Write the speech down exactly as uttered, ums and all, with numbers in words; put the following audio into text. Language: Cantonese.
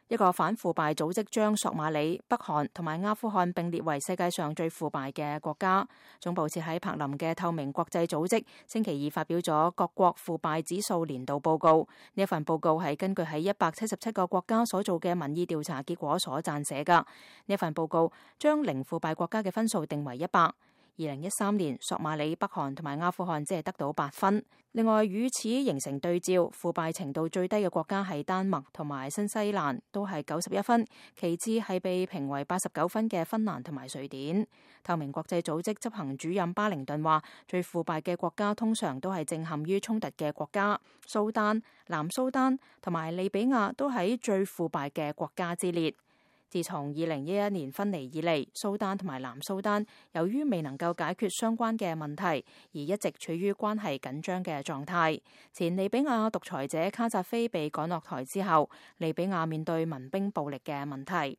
一個反腐敗組織將索馬里、北韓同埋阿富汗並列為世界上最腐敗嘅國家。總部設喺柏林嘅透明國際組織星期二發表咗各國腐敗指數年度報告。呢一份報告係根據喺一百七十七個國家所做嘅民意調查結果所撰寫㗎。呢一份報告將零腐敗國家嘅分數定為一百。二零一三年，索馬里、北韓同埋阿富汗只係得到八分。另外，與此形成對照，腐敗程度最低嘅國家係丹麥同埋新西蘭，都係九十一分。其次係被評為八十九分嘅芬蘭同埋瑞典。透明國際組織執行主任巴靈頓話，最腐敗嘅國家通常都係正陷於衝突嘅國家，蘇丹、南蘇丹同埋利比亞都喺最腐敗嘅國家之列。自從二零一一年分離以嚟，蘇丹同埋南蘇丹由於未能夠解決相關嘅問題，而一直處於關係緊張嘅狀態。前利比亞獨裁者卡扎菲被趕落台之後，利比亞面對民兵暴力嘅問題。